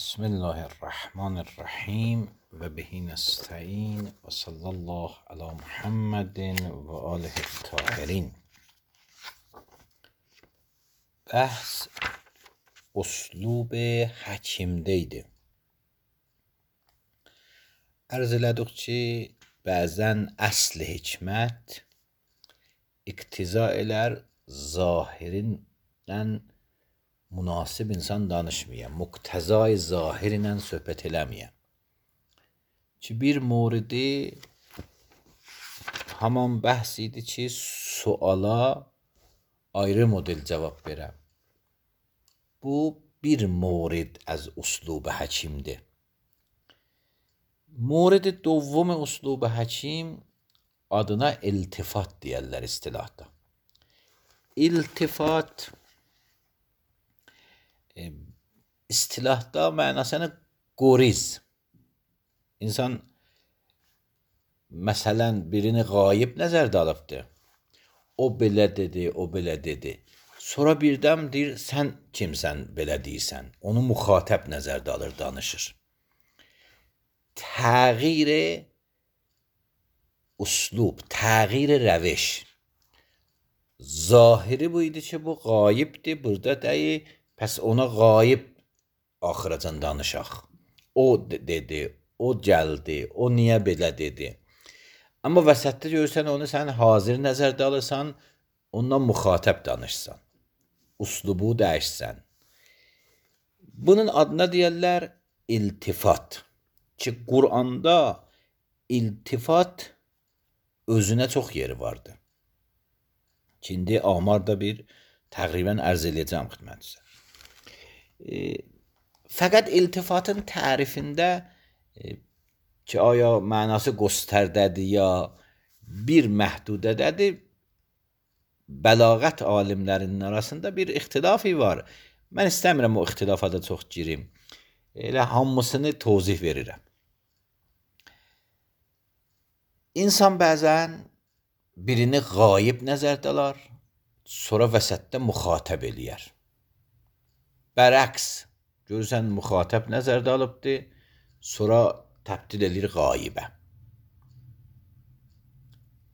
بسم الله الرحمن الرحیم و بهی نستعین و صلی الله علی محمد و آله الطاهرین. بحث اسلوب həkimdə Arz elədik ki, bəzən əsl hikmət iqtiza elər zahirindən münasib insan danışmayan, muqtəzai zahir ilə söhbət eləməyən. Ki bir moridi haman bəhs idi ki, suala ayrı model cavab verəm. Bu bir morid az uslub həkimdir. Morid دوم uslub həkim adına iltifat deyərlər istilahda. İltifat istilahda mənasını qoriz. İnsan məsələn birini qayib nəzərdə alıbdır. O belə dedi, o belə dedi. Sonra birdən deyir, sən kimsən belə deyirsən? Onu müxatəb nəzərdə alır, danışır. Təğyir uslub, təğyir rəviş. Zahiri bu idi ki, bu qayibdir, burada deyil. Pəs ona qayib axıracan danışaq. O dedi, o gəldi, o niyə belə dedi. Amma vəsətdə görürsən, onu sən hazır nəzərdə alırsan, ondan müxatəb danışsan. Uslubu dəyişsən. Bunun adına deyərlər iltifat. Ki, Qur'anda iltifat özünə çox yeri vardı. Şimdi amarda bir təqribən ərz edəcəm xidmətinizə. Fəqət iltifatın tərifində ki, aya mənası göstərdədir ya bir məhdudədədir, bəlağət alimlərinin arasında bir ixtilafi var. Mən istəmirəm o ixtilafada çox girim. Elə hamısını tozih verirəm. İnsan bəzən birini qayib nəzərdə alar, sonra vəsətdə müxatəb eləyər. Bərəks, görürsən müxatəb nəzərdə alıbdır, sonra təbdil edir qayibə.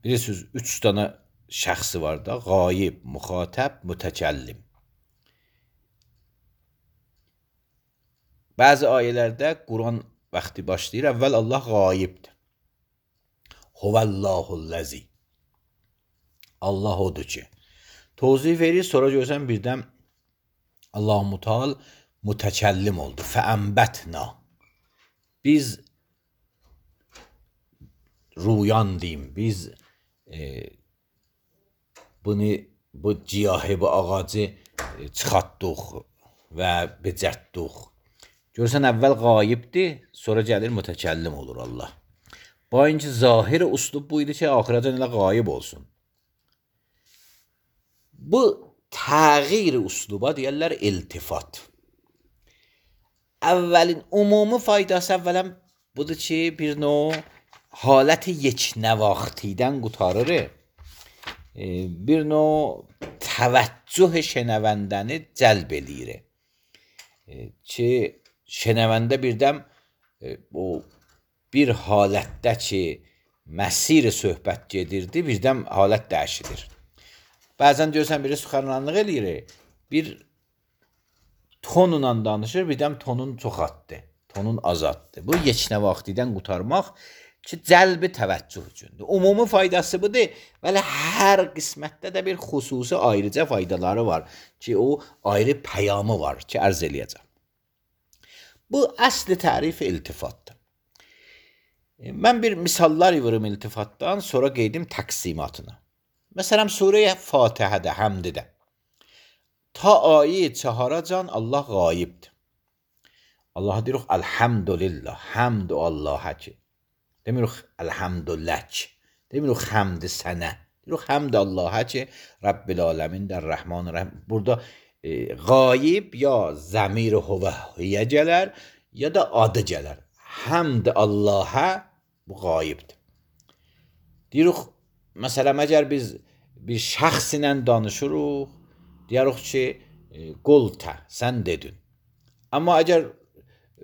Bilirsiniz, 3 dənə şəxsi var da, qayib, müxatəb, mütəkəllim. Bəzi ayələrdə Quran vaxtı başlayır, əvvəl Allah qayibdir. Huvəllahullazi. Allah odur ki. Tozih verir, sonra görürsən birdən Allah-u Teala mütəkəllim oldu. Fəənbətna. Biz ruyan deyim, biz bu ciyahı, bu ağacı çıxartdıq və becərtdıq. Görürsən, əvvəl qayibdir, sonra gəlir mütəkəllim olur Allah. Bayınca zahir uslub bu idi ki, axıracan elə qayib olsun. Bu təğyir usluba deyərlər iltifat. Əvvəlin ümumi faydası əvvələn budur ki, bir növ haləti yeknəvaxtidən qurtarır. Bir növ təvəccüh şənəvəndəni cəlb eləyir. Ki, şənəvəndə birdən bir halətdə ki, məsir söhbət gedirdi, birdən halət dəyişilir. Bəzən görürsən, biri suxarlanlıq eləyir, bir tonla danışır, birdən tonun çoxaltdı, tonun azaltdı. Bu, yeknə vaxtidən qurtarmaq ki, cəlbi təvəccüh üçündür. Ümumi faydası budur, bəli, hər qismətdə də bir xüsusi ayrıca faydaları var ki, o ayrı pəyamı var ki, ərz eləyəcəm. Bu, əsli tərifi iltifatdır. Mən bir misallar yığırım iltifatdan, sonra qeydim təqsimatına. Məsələn, Surə-i Fatihədə, həmdidə. Ta ayə 4-can Allah qayibdir. Allaha deyirik, Elhamdülillah, həmd Allah'a ki. Demirik, Elhamdüllək. Demirik, həmdi sənə. Deyirik, həmd Allah'a ki, Rabbil aləmin, Rəhmanir-Rəhim. Burada qayib ya zəmir-i huvəhiyyə gələr, ya da adı gələr. Həmd Allah'a bu qayibdir. Deyirik, məsələn, əgər biz bir şəxs ilə danışırıq, deyirik ki, qultə, sən dedin. Amma əgər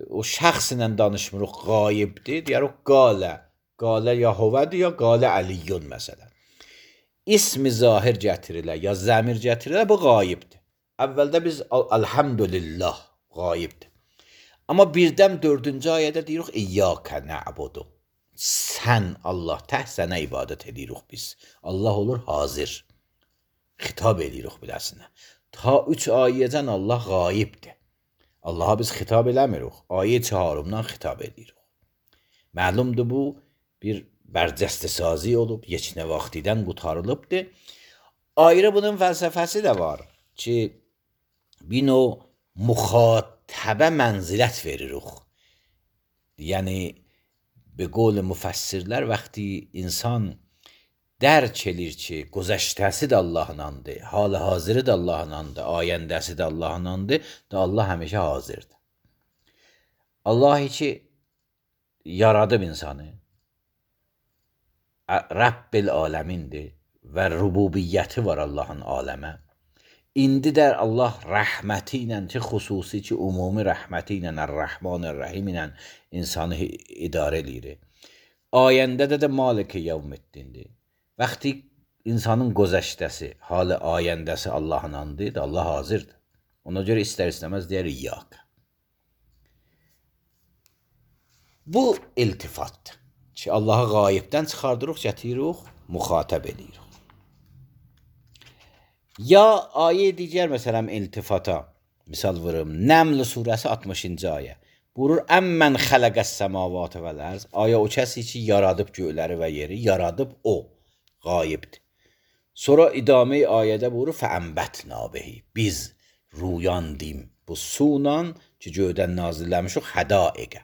o şəxslə danışmırıq, qayibdir, deyərik qalə. Qalə ya huvədir, ya qalə əliyyun məsələn. İsmi zahir gətirilə, ya zəmir gətirilə, bu qayibdir. Əvvəldə biz elhamdülillah qayibdir. Amma birdən 4-cü ayədə deyirik İyyəkə nə'budu. Sən Allah tək sənə ibadət edirik biz. Allah olur hazir. Xitab edirik biləsinə. Ta 3 ayədən Allah qayibdir. Allaha biz xitab eləmirik. Ayə 4-dan xitab edirik. Məlumdur bu bir bərcəstəsazi olub, yeçnə vaxtidən qutarılıbdır. Ayrı bunun fəlsəfəsi də var ki, bir növ müxatəbə mənzilət veririk. Yəni, به قول müfəssirlər vaxtı insan dərk edir ki, gözəştəsi də Allahındandır, hal hazırı da Allahındandır, ayəndəsi də Allahındandır, da Allah həmişə hazırdır. Allah ki yaradıb insanı, Rəbbil aləmindir və rububiyyəti var Allahın aləmə. İndi də Allah rəhməti ilə ki, xüsusi ki, ümumi rəhməti ilə, Ər-Rəhman-Ər-Rəhim ilə insanı idarə edir. Ayəndə də Malik-i Yevmiddindir. Vaxtı insanın gözəştəsi, halı ayəndəsi Allahındandır, Allah hazırdır. Ona görə istər-istəməz deyər İyyəkə. Bu iltifatdır ki, Allahı qayibdən çıxardırıq, gətiririk, müxatəb edirik. Ya ayə digər məsələn iltifata misal vururum. Nəml surəsi 60-cı ayə. Buyurur: "Əmmən xələqəs səmavatı vəl ərz." Ayə o kəsi ki yaradıb göyləri və yeri, yaradıb o, qayibdir. Sonra idamə ayədə buyurur: "Fəənbətnə bihi." Biz ruyandim bu sunan ki göydən nazilləmişik hədaiqə.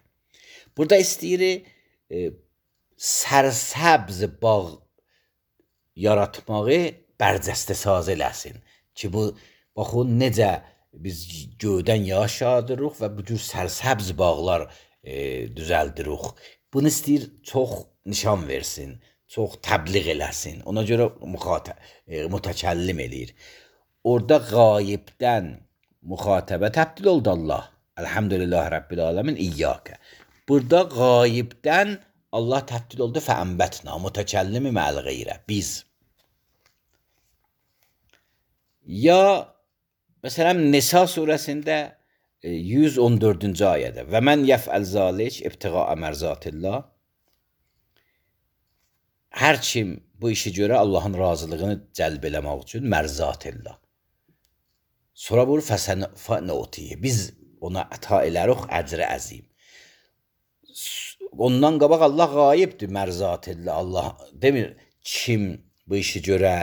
Burada istəyir sərsəbz bağ yaratmağı bərcəstəsaz eləsin ki, bu baxın necə biz göydən yağış yağdırırıq və bu cür sərsəbz bağlar düzəldirik. Bunu istəyir çox nişan versin, çox təbliğ eləsin. Ona görə mütəkəllim eləyir. Orada qayibdən müxatəbə təbdil oldu Allah. Elhamdülillah Rabbil aləmin İyyəkə. Burada qayibdən Allah təbdil oldu fəənbətna, mütəkəllimi mə'l qeyrə, biz. Ya məsələn Nisa surəsində 114-cü ayədə və mən yəfəl zalik ibtiğa mərzatillah. Hər kim bu işi görə Allahın razılığını cəlb eləmək üçün mərzatillah. Sonra vurur fəsənutiyə. Biz ona əta elərik əcr-i əzim. Ondan qabaq Allah qayibdir mərzatillah. Allah demir kim bu işi görə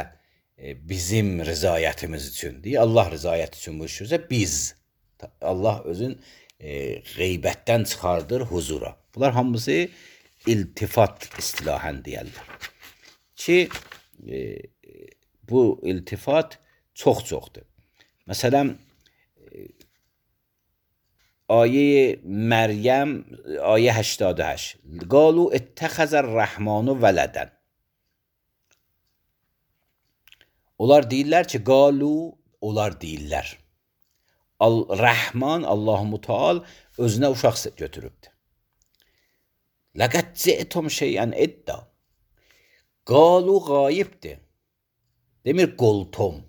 bizim rızayətimiz üçün deyir. Allah rızayət üçün bu işi görsə biz. Allah özün qeybətdən çıxardır huzura. Bunlar hamısı iltifat istilahən deyərlər. Ki bu iltifat çox-çoxdur. Məsələn, ayə Məryəm, ayə 88. Qalu ittəxəzər rəhmanu vələdən. Onlar deyirlər ki, qalu, onlar deyirlər. Rəhman, Allah-u Müteal özünə uşaq götürübdür. Ləqəd ci'tum şeyən idda. Qalu qayibdir. Demir qoltum.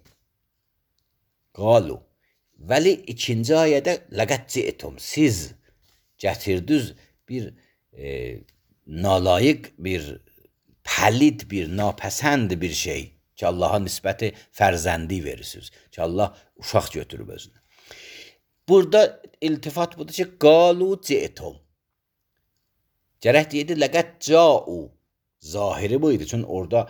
Qalu. Vəli ikinci ayədə ləqəd ci'tum. Siz gətirdiniz bir nalayiq, bir pəlid, bir napəsənd bir şey ki, Allaha nisbəti fərzəndi verirsiniz. Ki, Allah uşaq götürüb özünə. Burada iltifat budur ki, qalu ci'tum. Gərək deyirdi, ləqəd ca'u. Zahiri buydu. Çünki orada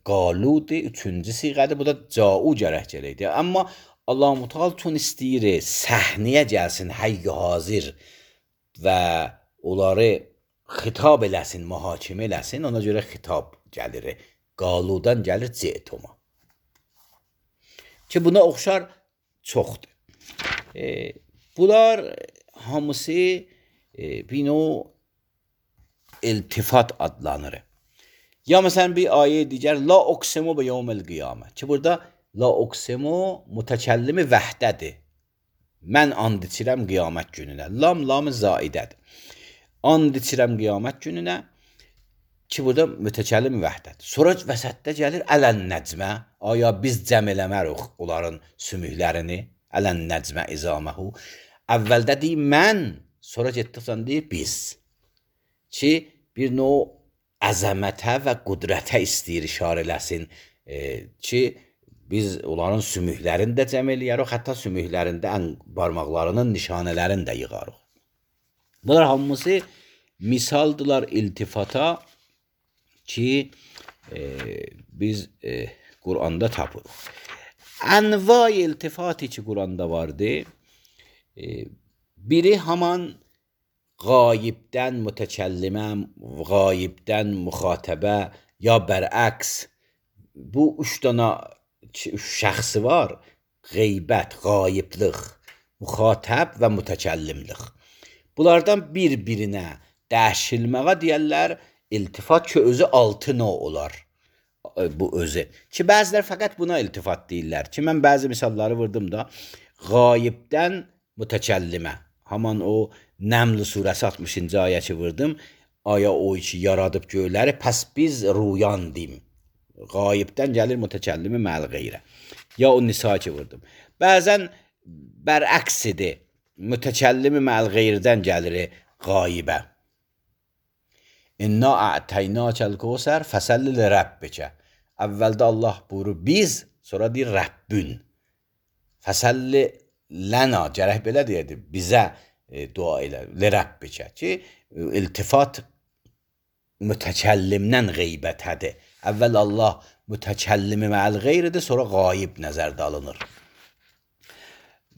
qaludir, üçüncü siğədir. Bu da ca'u gərək gələkdir. Amma Allah-u Müteal tün istəyir, səhnəyə gəlsin, hayy hazır və onları xitab eləsin, mühakimə eləsin. Ona görə xitab gəlir. Qaludan gəlir ci'tuma. Ki, buna oxşar çoxdur. Bunlar hamısı bir növ iltifat adlanır. Ya məsələn bir ayə digər la uqsimu bi yevmil qiyamə. Ki burada la uqsimu mütəkəllimi vəhdədir. Mən and içirəm qiyamət gününə. Lam zaidədir. And içirəm qiyamət gününə ki, burada mütəkəllim vəhdədir. Sonra vəsətdə gəlir ələn nəcmə. Aya biz cəm eləmərik onların sümüklərini. Ələn nəcmə izaməhu. Əvvəldə deyir mən, sonra getdikcə deyir biz. Ki, bir növ əzəmətə və qudrətə istəyir işarə eləsin. Ki, biz onların sümüklərini də cəm eləyərik, hətta sümüklərində barmaqlarının nişanələrini də yığarıq. Bunlar hamısı misaldılar iltifata ki, biz Quranda tapırıq. Ənva iltifati ki, Quranda vardı. Biri haman qayibdən mütəkəllimə, qayibdən müxatəbə ya bərəks. Bu üç dana şəxsi var. Qeybət, qayıblıq, müxatəb və mütəkəllimlik. Bunlardan bir-birinə dəşilməyə deyərlər iltifat ki, özü 6 növ olar. Bu özü. Ki, bəzilər fəqət buna iltifat deyirlər. Ki, mən bəzi misalları vurdum da. Qayibdən mütəkəllimə. Haman o Nəml surəsi 60-cı ayəçi vurdum. Aya o ki, yaradıb göyləri, pəs biz ruyandim. Qayibdən gəlir mütəkəllimi məl qeyrə. Ya o Nisa ki vurdum. Bəzən bərəksidir. Mütəkəllimi məl qeyrdən gəlir qayibə. İnna a'teynâkel kevser fesalli li rabbike. Əvvəldə Allah buyurur biz, sonra deyir Rəbbün. Fəsalli lənə, gərək belə deyirdi, bizə dua elə, li rabbike ki, iltifat mütəkəllimdən qeybətədir. Əvvəl Allah mütəkəllimi məl qeyridir, sonra qayib nəzərdə alınır.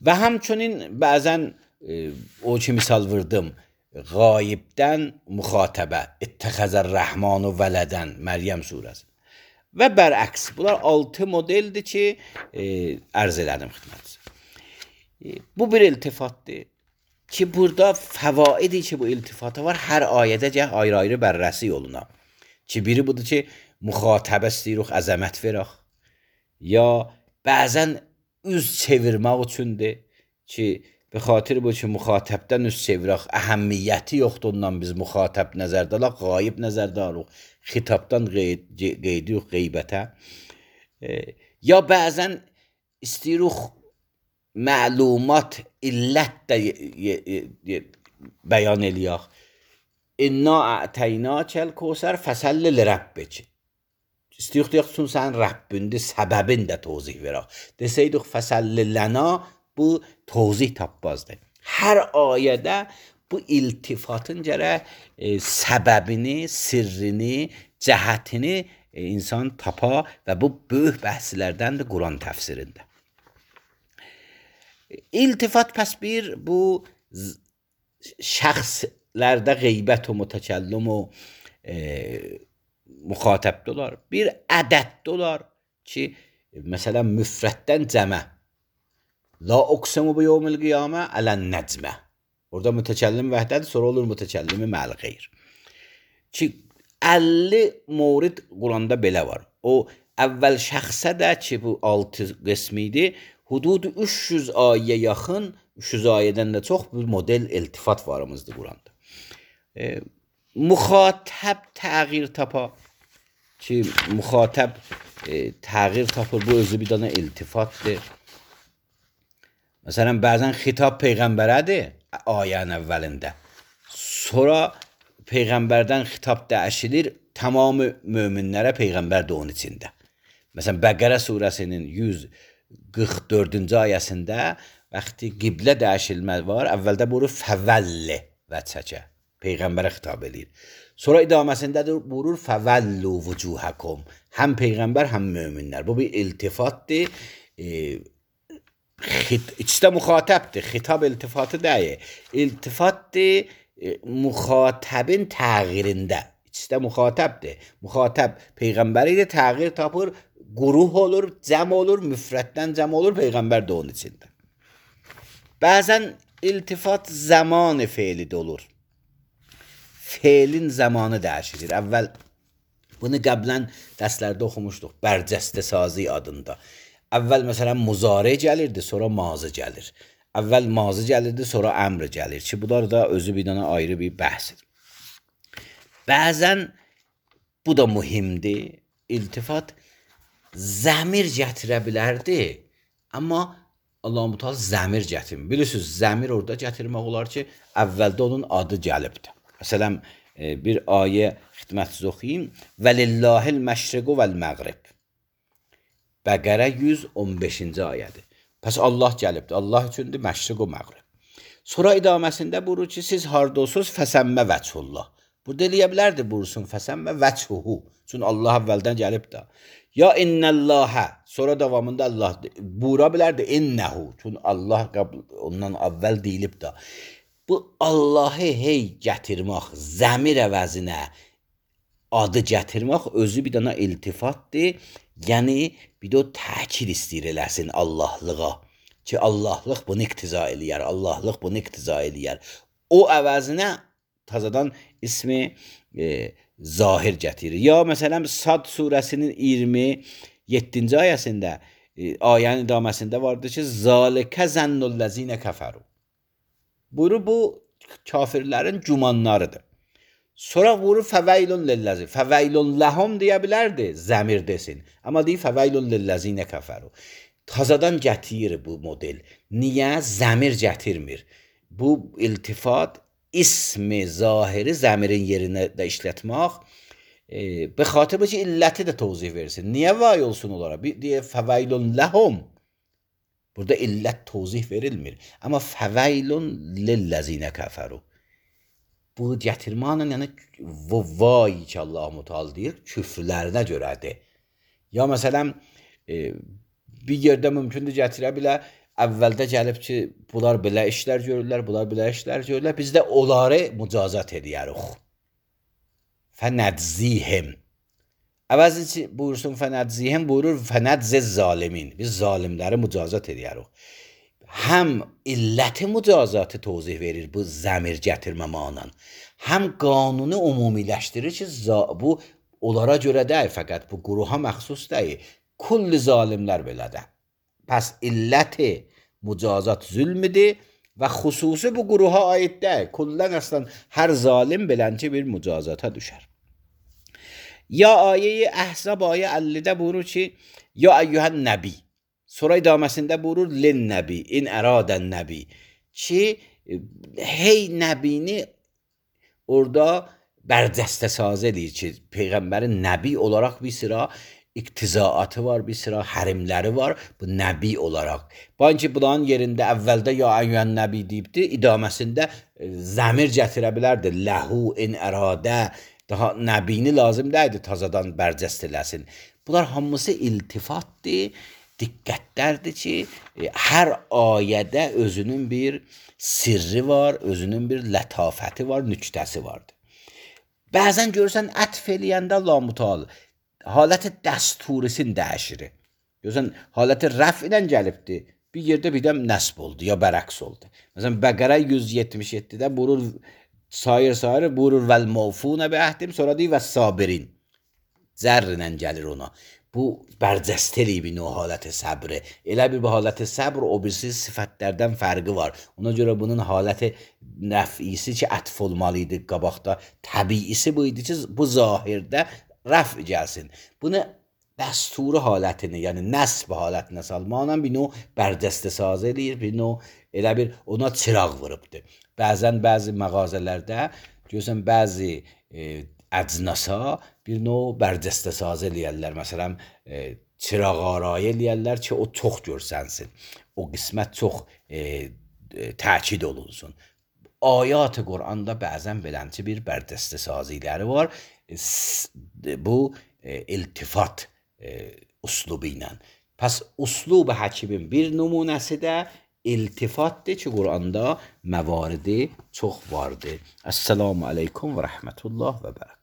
Və həmçinin bəzən o ki misal vurdum, qayibdən müxatəbə, ittəxəzər rəhmanu vələdən, Məryəm surəsi. Və bərəks, bunlar 6 modeldir ki, ərz elədim xidmətinizə. Bu bir iltifatdır ki, burada fəvaidi ki, bu iltifata var, hər ayədə gəh ayrı-ayrı bərrəsi yoluna. Ki, biri budur ki, müxatəbə istəyirik, əzəmət verək. Ya bəzən üz çevirmək üçündür ki, be xatir bu ki, müxatəbdən üz çevirək, əhəmmiyyəti yoxdur ondan biz müxatəb nəzərdə alaq, qayib nəzərdə alaq, xitabdan qeydirik qeybətə. Ya bəzən istəyirik məlumat, illət də bəyan eləyək. İnna a'teynâkel kevser fesalli li rabbik. İstəyirik deyək ki, sən Rəbbündür, səbəbin də tozih verək. Desəydik fesalli lənə, bu tozih tapmazdır. Hər ayədə bu iltifatın gərək səbəbini, sirrini, cəhətini insan tapa və bu böyük bəhslərdəndir Quran təfsirində. İltifat pəs bir bu şəxslərdə qeybət o mütəkəllim o müxatəbdə olar. Bir ədəddə olar ki, məsələn müfrətdən cəmə. La uqsimu bi yevmil qiyamə ələn nəcmə. Orada mütəkəllim vəhdədir, sonra olur mütəkəllimi məl qeyr. Ki, 50 mövrid Quranda belə var. O, əvvəl şəxsə də ki, bu 6 qismi idi, hudud 300 ayə yaxın, 300 ayədən də çox bir model iltifat varımızdır Quranda. Müxatəb təğyir tapa ki, müxatəb təğyir tapır, bu özü bir dana iltifatdır. Məsələn, bəzən xitab Peyğəmbərədir ayənin əvvəlində. Sonra Peyğəmbərdən xitab dəyişilir, tamamı möminlərə Peyğəmbər də onun içində. Məsələn, Bəqərə surəsinin 144-cü ayəsində vaxtı qiblə dəyişilmə var, əvvəldə buyurur fəvəlli vəçəkə, Peyğəmbərə xitab edir. Sonra idaməsində buyurur fəvəllu vücuhəkum, həm Peyğəmbər, həm möminlər. Bu bir iltifatdır. İçdə müxatəbdir, xitab iltifatı deyil. İltifatdır müxatəbin təğyirində. İçdə müxatəbdir. Müxatəb Peyğəmbəri təğyir tapır, quruh olur, cəm olur, müfrətdən cəm olur, Peyğəmbər də onun içində. Bəzən iltifat zamanı feilidə olur. Feilin zamanı dəyişilir. Əvvəl bunu qəblən dərslərdə oxumuşduq, bərcəstə sazi adında. Əvvəl məsələn muzari gəlirdi, sonra mazı gəlir. Əvvəl mazi gəlirdi, sonra əmr gəlir ki, bunlar da özü bir dənə ayrı bir bəhsdir. Bəzən bu da mühimdir. İltifat zəmir gətirə bilərdi, amma Allah-u Teala zəmir gətirmir. Bilirsiniz, zəmir orada gətirmək olar ki, əvvəldə onun adı gəlibdir. Məsələn, bir ayə xidmətsiz oxuyayım. Vəlillahil məşriqu vəl-məğrib. Bəqərə 115-ci ayədir. Pəs Allah gəlibdir. Allah üçündür məşriq və məğrib. Sonra idaməsində buyurur ki, siz harda olsunuz, fəsəmmə vəchullah. Burada eləyə bilərdi buyursun, fəsəmmə vəchuhu. Çünki Allah əvvəldən gəlib də. Ya innəllahə. Sonra davamında Allah buyura bilərdi innəhu. Çünki Allah ondan əvvəl deyilib də. Bu Allahı hey gətirmək, zəmir əvəzinə adı gətirmək özü bir dənə iltifatdır. Yəni, bir də o təkid istəyir eləsin Allahlığa. Ki, Allahlıq bunu iqtiza eləyər, Allahlıq bunu iqtiza eləyər. O əvəzinə tazadan ismi zahir gətirir. Ya, məsələn, Sad surəsinin 27-ci ayəsində, ayənin idaməsində vardır ki, Zalikə zənnullezine kəfəru. Buyurur, bu kafirlərin gümanlarıdır. Sonra vurur fəveylun lilləzi. Fəveylun ləhum deyə bilərdi, zəmir desin. Amma deyir fəveylun lilləzinə kəfəru. Tazadan gətirir bu model. Niyə? Zəmir gətirmir. Bu iltifat ismi zahiri zəmirin yerinə də işlətmək. Be xatırı ki, illəti də tozih versin. Niyə vay olsun onlara? Deyə fəveylun ləhum. Burada illət tozih verilmir. Amma fəveylun lilləzinə kəfəru. Bu gətirmanın, yəni vay ki, Allah-u Teala deyir, küfrlərinə görədir. Ya məsələn, bir yerdə mümkündür gətirə bilə, əvvəldə gəlib ki, bunlar belə işlər görürlər, bunlar belə işlər görürlər, biz də onları mücazat edərik. Fənədzihim. Əvəzi buyursun fənədzihim, buyurur fənədziz zalimin. Biz zalimləri mücazat edərik. Həm illəti mücazatı tozih verir bu zəmir gətirmə manan. Həm qanunu umumiləşdirir ki, bu onlara görə deyil, fəqət bu quruha məxsus deyil. Kulli zalimlər belədir. Pəs illəti mücazat zülmidir və xüsusi bu quruha aid deyil. Kullən əslən hər zalim belənci bir mücazata düşər. Ya ayə-i Əhzab ayə 50-də buyurur ki, ya əyyuhən nəbi. Sonra idaməsində buyurur lin nəbi, in əradən nəbi. Ki, hey nəbini orada bərcəstə saz edir ki, Peyğəmbərin nəbi olaraq bir sıra iqtizaatı var, bir sıra hərimləri var, bu nəbi olaraq. Banki bunların yerində əvvəldə ya əyyən nəbi deyibdi, idaməsində zəmir gətirə bilərdi, ləhu, in əradə, daha nəbini lazım deyildi tazadan bərcəst eləsin. Bunlar hamısı iltifatdır. Diqqətlərdir ki, hər ayədə özünün bir sirri var, özünün bir lətafəti var, nüktəsi vardır. Bəzən görürsən, ətf eləyəndə Allah-u Teala haləti dəsturisin dəyişiri. Görürsən, haləti rəf ilə gəlibdir, bir yerdə bir də nəsb oldu, ya bərəks oldu. Məsələn, Bəqərə 177-də buyurur, sayır, buyurur vəl-mavfunə bi əhdim, sonra deyir və sabirin. Zərr ilə gəlir ona. Bu bərcəst eləyib o haləti səbri. Elə bir haləti səbr o birisi sifətlərdən fərqi var. Ona görə bunun haləti nəfisi ki, ətf olmalı idi qabaqda. Təbiisi bu idi ki, bu zahirdə rəf gəlsin. Bunu dəsturi halətini, yəni nəsb halətinə salmaqla bir növ bərcəstə saz eləyir, bir növ elə bir ona çıraq vurubdur. Bəzən bəzi məğazələrdə görürsən, bəzi əcnasa bir növ bərcəstə saz eləyərlər. Məsələn, çıraq arayı eləyərlər ki, o çox görsənsin. O qismət çox təkid olunsun. Ayat-ı Qur'anda bəzən belənci bir bərcəstə saziləri var. Bu iltifat uslubu ilə. Pəs uslub-ı həkimin bir nümunəsi də iltifatdır ki, Qur'anda məvaridi çox vardır. Əssəlamu aleykum və rəhmətullah və bərəkət.